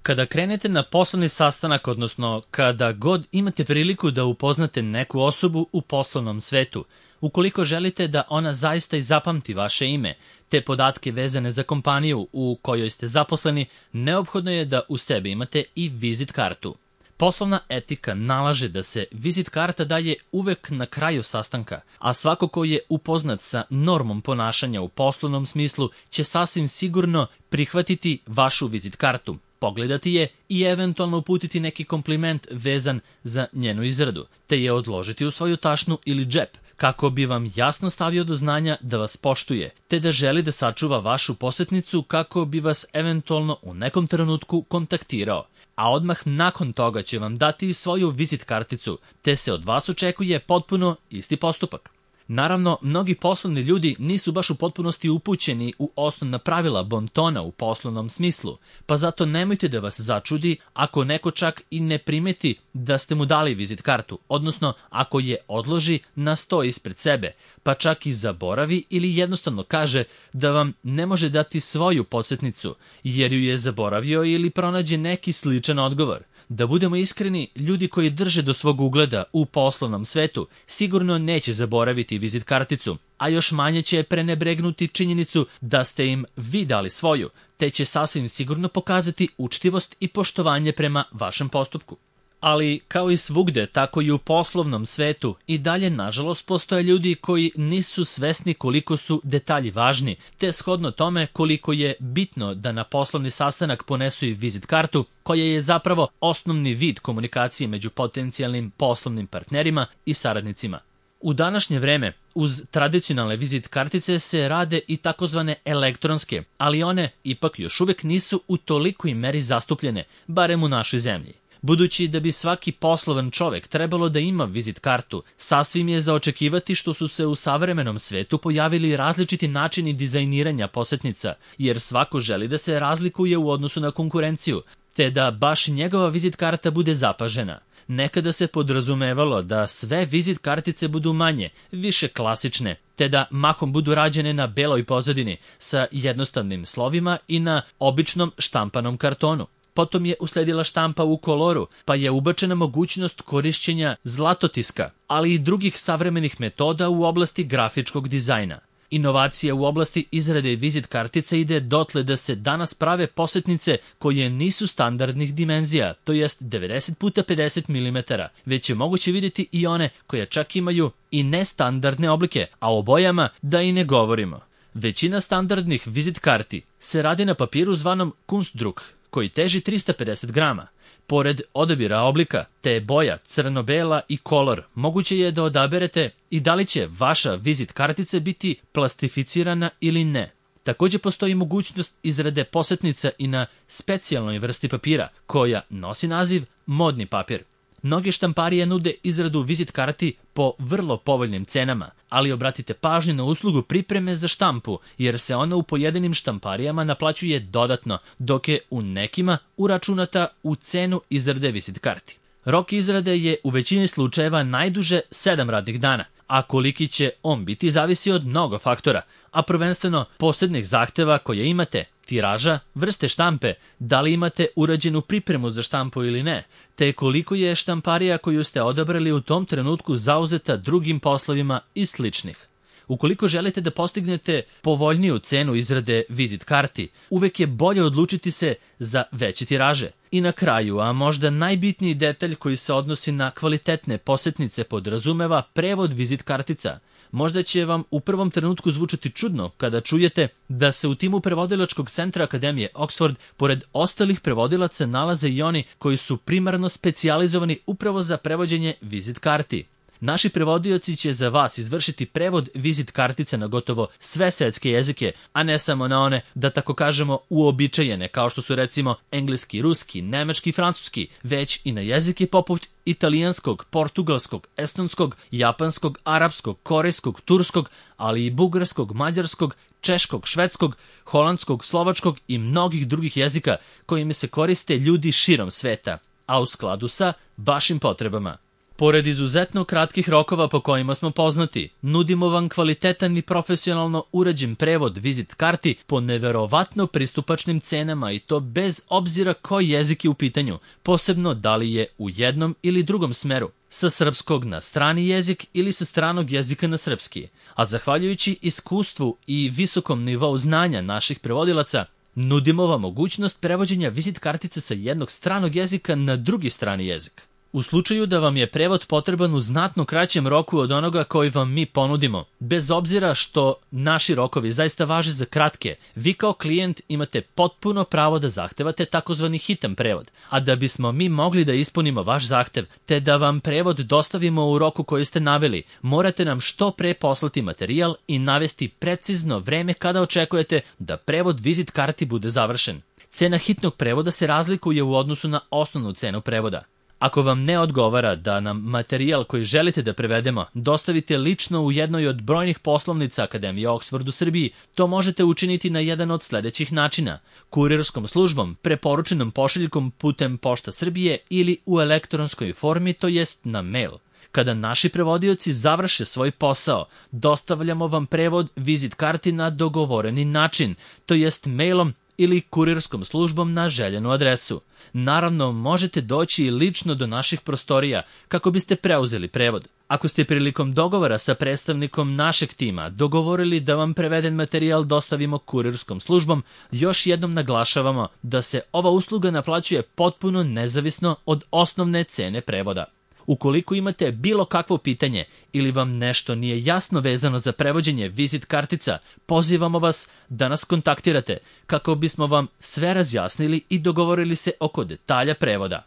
Kada krenete na poslovni sastanak, odnosno kada god imate priliku da upoznate neku osobu u poslovnom svetu, ukoliko želite da ona zaista i zapamti vaše ime, te podatke vezane za kompaniju u kojoj ste zaposleni, neophodno je da u sebi imate i vizit kartu. Poslovna etika nalaže da se vizit karta daje uvek na kraju sastanka, a svako ko je upoznat sa normom ponašanja u poslovnom smislu će sasvim sigurno prihvatiti vašu vizit kartu, pogledati je i eventualno uputiti neki kompliment vezan za njenu izradu, te je odložiti u svoju tašnu ili džep, kako bi vam jasno stavio do znanja da vas poštuje, te da želi da sačuva vašu posetnicu kako bi vas eventualno u nekom trenutku kontaktirao. A odmah nakon toga će vam dati svoju vizit karticu, te se od vas očekuje potpuno isti postupak. Naravno, mnogi poslovni ljudi nisu baš u potpunosti upućeni u osnovna pravila bontona u poslovnom smislu, pa zato nemojte da vas začudi ako neko čak i ne primeti da ste mu dali vizit kartu, odnosno ako je odloži na sto ispred sebe, pa čak i zaboravi ili jednostavno kaže da vam ne može dati svoju podsjetnicu jer ju je zaboravio ili pronađe neki sličan odgovor. Da budemo iskreni, ljudi koji drže do svog ugleda u poslovnom svetu sigurno neće zaboraviti vizit karticu, a još manje će prenebregnuti činjenicu da ste im vi dali svoju, te će sasvim sigurno pokazati učtivost i poštovanje prema vašem postupku. Ali, kao i svugde, tako i u poslovnom svetu, i dalje, nažalost, postoje ljudi koji nisu svesni koliko su detalji važni, te shodno tome koliko je bitno da na poslovni sastanak ponesu i vizit kartu, koja je zapravo osnovni vid komunikacije među potencijalnim poslovnim partnerima i saradnicima. U današnje vreme, uz tradicionalne vizit kartice se rade i takozvane elektronske, ali one ipak još uvek nisu u tolikoj meri zastupljene, barem u našoj zemlji. Budući da bi svaki poslovan čovek trebalo da ima vizit kartu, sasvim je za očekivati što su se u savremenom svetu pojavili različiti načini dizajniranja posetnica, jer svako želi da se razlikuje u odnosu na konkurenciju, te da baš njegova vizit karta bude zapažena. Nekada se podrazumevalo da sve vizit kartice budu manje, više klasične, te da mahom budu rađene na beloj pozadini sa jednostavnim slovima i na običnom štampanom kartonu. Potom je usledila štampa u koloru, pa je ubačena mogućnost korišćenja zlatotiska, ali i drugih savremenih metoda u oblasti grafičkog dizajna. Inovacija u oblasti izrade vizit kartica ide dotle da se danas prave posetnice koje nisu standardnih dimenzija, to jest 90x50 mm, već je moguće vidjeti i one koje čak imaju i nestandardne oblike, a o bojama da i ne govorimo. Većina standardnih vizit karti se radi na papiru zvanom Kunstdruck, koji teži 350 grama. Pored odabira oblika, te boja, crno-bela i kolor, moguće je da odaberete i da li će vaša vizit kartica biti plastificirana ili ne. Također postoji mogućnost izrade posetnica i na specijalnoj vrsti papira, koja nosi naziv modni papir. Mnoge štamparije nude izradu vizit karti po vrlo povoljnim cenama, ali obratite pažnju na uslugu pripreme za štampu, jer se ona u pojedinim štamparijama naplaćuje dodatno, dok je u nekima uračunata u cenu izrade vizit karti. Rok izrade je u većini slučajeva najduže 7 radnih dana, a koliki će on biti zavisi od mnogo faktora, a prvenstveno posebnih zahteva koje imate, tiraža, vrste štampe, da li imate urađenu pripremu za štampu ili ne, te koliko je štamparija koju ste odabrali u tom trenutku zauzeta drugim poslovima i sličnih. Ukoliko želite da postignete povoljniju cenu izrade vizit karti, uvek je bolje odlučiti se za veće tiraže. I na kraju, a možda najbitniji detalj koji se odnosi na kvalitetne posetnice podrazumeva prevod vizit kartica. Možda će vam u prvom trenutku zvučati čudno kada čujete da se u timu prevodilačkog centra Akademije Oxford pored ostalih prevodilaca nalaze i oni koji su primarno specijalizovani upravo za prevođenje vizit karti. Naši prevodioci će za vas izvršiti prevod vizit kartice na gotovo sve svetske jezike, a ne samo na one, da tako kažemo, uobičajene, kao što su recimo engleski, ruski, nemački i francuski, već i na jezike poput italijanskog, portugalskog, estonskog, japanskog, arapskog, korejskog, turskog, ali i bugarskog, mađarskog, češkog, švedskog, holandskog, slovačkog i mnogih drugih jezika kojima se koriste ljudi širom sveta, a u skladu sa vašim potrebama. Pored izuzetno kratkih rokova po kojima smo poznati, nudimo vam kvalitetan i profesionalno urađen prevod vizit karti po neverovatno pristupačnim cenama i to bez obzira koji jezik je u pitanju, posebno da li je u jednom ili drugom smeru, sa srpskog na strani jezik ili sa stranog jezika na srpski. A zahvaljujući iskustvu i visokom nivou znanja naših prevodilaca, nudimo vam mogućnost prevođenja vizit kartice sa jednog stranog jezika na drugi strani jezik. U slučaju da vam je prevod potreban u znatno kraćem roku od onoga koji vam mi ponudimo, bez obzira što naši rokovi zaista važe za kratke, vi kao klijent imate potpuno pravo da zahtevate takozvani hitan prevod, a da bismo mi mogli da ispunimo vaš zahtev, te da vam prevod dostavimo u roku koji ste naveli, morate nam što pre poslati materijal i navesti precizno vreme kada očekujete da prevod vizit karti bude završen. Cena hitnog prevoda se razlikuje u odnosu na osnovnu cenu prevoda. Ako vam ne odgovara da nam materijal koji želite da prevedemo dostavite lično u jednoj od brojnih poslovnica Akademije Oxford u Srbiji, to možete učiniti na jedan od sledećih načina: kurirskom službom, preporučenom pošiljkom putem Pošta Srbije ili u elektronskoj formi, to jest na mail. Kada naši prevodioci završe svoj posao, dostavljamo vam prevod vizit karti na dogovoreni način, to jest mailom ili kurirskom službom na željenu adresu. Naravno, možete doći i lično do naših prostorija kako biste preuzeli prevod. Ako ste prilikom dogovora sa predstavnikom našeg tima dogovorili da vam preveden materijal dostavimo kurirskom službom, još jednom naglašavamo da se ova usluga naplaćuje potpuno nezavisno od osnovne cene prevoda. Ukoliko imate bilo kakvo pitanje ili vam nešto nije jasno vezano za prevođenje vizit kartica, pozivamo vas da nas kontaktirate kako bismo vam sve razjasnili i dogovorili se oko detalja prevoda.